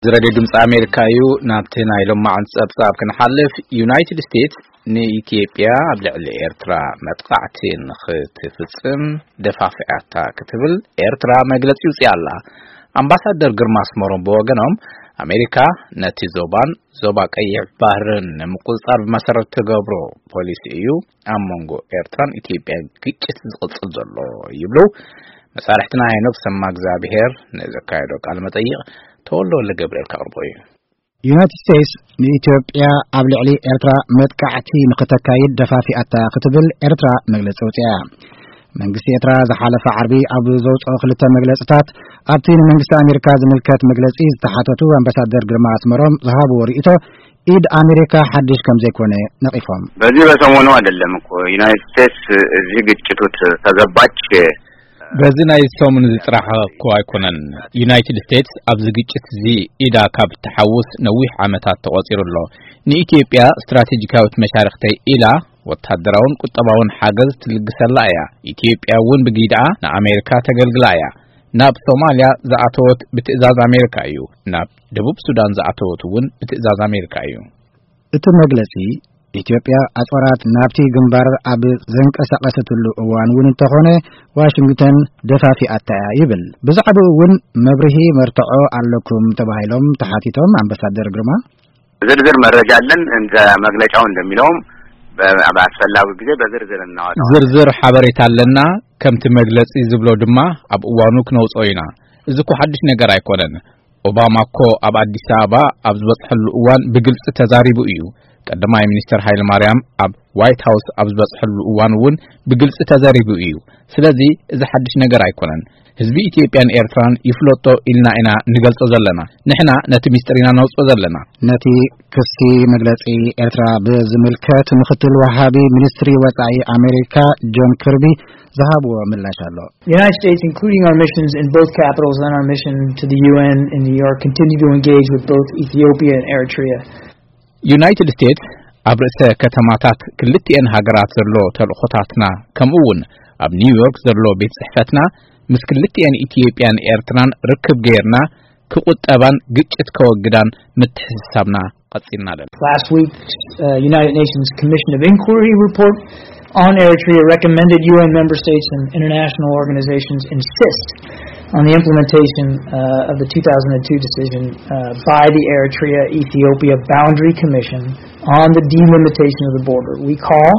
እዚ ሬድዮ ድምፂ ኣሜሪካ እዩ። ናብቲ ናይ ሎማዓንቲ ፀብፃብ ክንሓልፍ፣ ዩናይትድ ስቴትስ ንኢትዮጵያ ኣብ ልዕሊ ኤርትራ መጥቃዕቲ ንኽትፍፅም ደፋፊኣታ ክትብል ኤርትራ መግለፂ ውፅያ ኣላ። ኣምባሳደር ግርማ ኣስመሮም ብወገኖም፣ ኣሜሪካ ነቲ ዞባን ዞባ ቀይሕ ባህርን ንምቁፅፃር ብመሰረት ትገብሮ ፖሊሲ እዩ ኣብ መንጎ ኤርትራን ኢትዮጵያን ግጭት ዝቕፅል ዘሎ ይብሉ። መሳርሕትና ሄኖክ ሰማ እግዚኣብሔር ንዘካየዶ ቃለ መጠይቕ ተወልደ ወልደ ገብርኤል ከቕርቦ እዩ። ዩናይትድ ስቴትስ ንኢትዮጵያ ኣብ ልዕሊ ኤርትራ መጥቃዕቲ ንኽተካይድ ደፋፊኣታ ክትብል ኤርትራ መግለፂ ኣውፂኣ። መንግስቲ ኤርትራ ዝሓለፈ ዓርቢ ኣብ ዘውፅኦ ክልተ መግለፅታት፣ ኣብቲ ንመንግስቲ ኣሜሪካ ዝምልከት መግለፂ ዝተሓተቱ ኣምባሳደር ግርማ ኣስመሮም ዝሃብዎ ርእይቶ፣ ኢድ ኣሜሪካ ሓድሽ ከም ዘይኮነ ነቒፎም። በዚህ በሰሞኑ አይደለም እኮ ዩናይትድ ስቴትስ እዚህ ግጭት ውስጥ ተገባች። በዚ ናይ ሰሙን እዚ ጥራሕ እኮ ኣይኮነን። ዩናይትድ ስቴትስ ኣብዚ ግጭት እዚ ኢዳ ካብ ትሓውስ ነዊሕ ዓመታት ተቖጺሩ ኣሎ። ንኢትዮጵያ ስትራቴጂካዊት መሻርኽተይ ኢላ ወታደራውን ቁጠባውን ሓገዝ ትልግሰላ እያ። ኢትዮጵያ እውን ብጊድኣ ንኣሜሪካ ተገልግላ እያ። ናብ ሶማልያ ዝኣተወት ብትእዛዝ ኣሜሪካ እዩ። ናብ ደቡብ ሱዳን ዝኣተወት እውን ብትእዛዝ ኣሜሪካ እዩ። እቲ መግለጺ፣ ኢትዮጵያ ኣጽዋራት ናብቲ ግንባር ኣብ ዘንቀሳቐሰትሉ እዋን እውን እንተኾነ፣ ዋሽንግተን ደፋፊኣታ እያ ይብል። ብዛዕባኡ እውን መብርሂ መርትዖ ኣለኩም ተባሂሎም ተሓቲቶም ኣምባሳደር ግርማ፣ ዝርዝር መረጃ አለን። እንደ መግለጫው እንደሚለውም በ-፣ በአስፈላጊ ጊዜ በዝርዝር እናወጣዋለን። ዝርዝር ሓበሬታ ኣለና። ከምቲ መግለጺ ዝብሎ ድማ ኣብ እዋኑ ክነውጽኦ ኢና። እዚ እኮ ሓድሽ ነገር ኣይኮነን። ኦባማ እኮ ኣብ ኣዲስ ኣበባ ኣብ ዝበጽሐሉ እዋን ብግልጺ ተዛሪቡ እዩ። ቀዳማይ ሚኒስተር ሃይለ ማርያም ኣብ ዋይት ሃውስ ኣብ ዝበጽሐሉ እዋን እውን ብግልጺ ተዛሪቡ እዩ። ስለዚ እዚ ሓድሽ ነገር ኣይኮነን። ህዝቢ ኢትዮጵያን ኤርትራን ይፍለጦ ኢልና ኢና ንገልጾ ዘለና። ንሕና ነቲ ሚስጥር ኢና ነውጽኦ ዘለና። ነቲ ክሲ መግለጺ ኤርትራ ብዝምልከት ምክትል ወሃቢ ሚኒስትሪ ወጻኢ ኣሜሪካ ጆን ክርቢ ዝሃብዎ ምላሽ ኣሎ። The United States, including our missions in both capitals and our mission to the U N in New York, continue to engage with both Ethiopia and Eritrea. ዩናይትድ ስቴትስ ኣብ ርእሰ ከተማታት ክልቲኤን ሃገራት ዘሎ ተልእኾታትና፣ ከምኡ እውን ኣብ ኒውዮርክ ዘሎ ቤት ጽሕፈትና ምስ ክልቲኤን ኢትዮጵያን ኤርትራን ርክብ ገይርና ክቁጠባን ግጭት ከወግዳን ምትሕስሳብና ቀጺልና ኣለና። Last week's uh, United Nations Commission of Inquiry report on Eritrea recommended U N member states and international organizations insist on the implementation uh, of the two thousand two decision uh, by the Eritrea Ethiopia Boundary Commission on the delimitation of the border. We call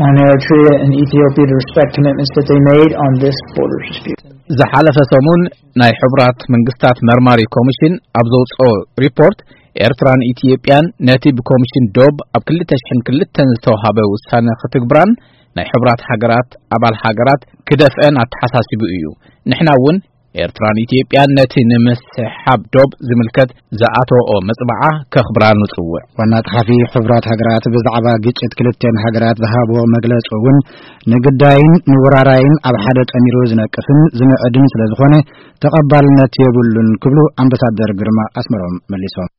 on Eritrea and Ethiopia to respect commitments that they made on this border dispute. ዝሓለፈ ሰሙን ናይ ሕቡራት መንግስታት መርማሪ ኮሚሽን ኣብ ዘውፅኦ ሪፖርት፣ ኤርትራን ኢትዮጵያን ነቲ ብኮሚሽን ዶብ ኣብ ክልተ ሽሕን ክልተን ዝተውሃበ ውሳነ ክትግብራን ናይ ሕቡራት ሃገራት ኣባል ሃገራት ክደፍአን ኣተሓሳሲቡ እዩ። ንሕና እውን ኤርትራን ኢትዮጵያን ነቲ ንምስሕሓብ ዶብ ዝምልከት ዝኣተወኦ መጽብዓ ከኽብራ ንጽውዕ። ዋና ጸሓፊ ሕቡራት ሃገራት ብዛዕባ ግጭት ክልተን ሃገራት ዝሃብዎ መግለጺ እውን ንግዳይን ንወራራይን ኣብ ሓደ ጠሚሩ ዝነቅፍን ዝምዕድን ስለ ዝኾነ ተቐባልነት የብሉን ክብሉ ኣምባሳደር ግርማ ኣስመሮም መሊሶም።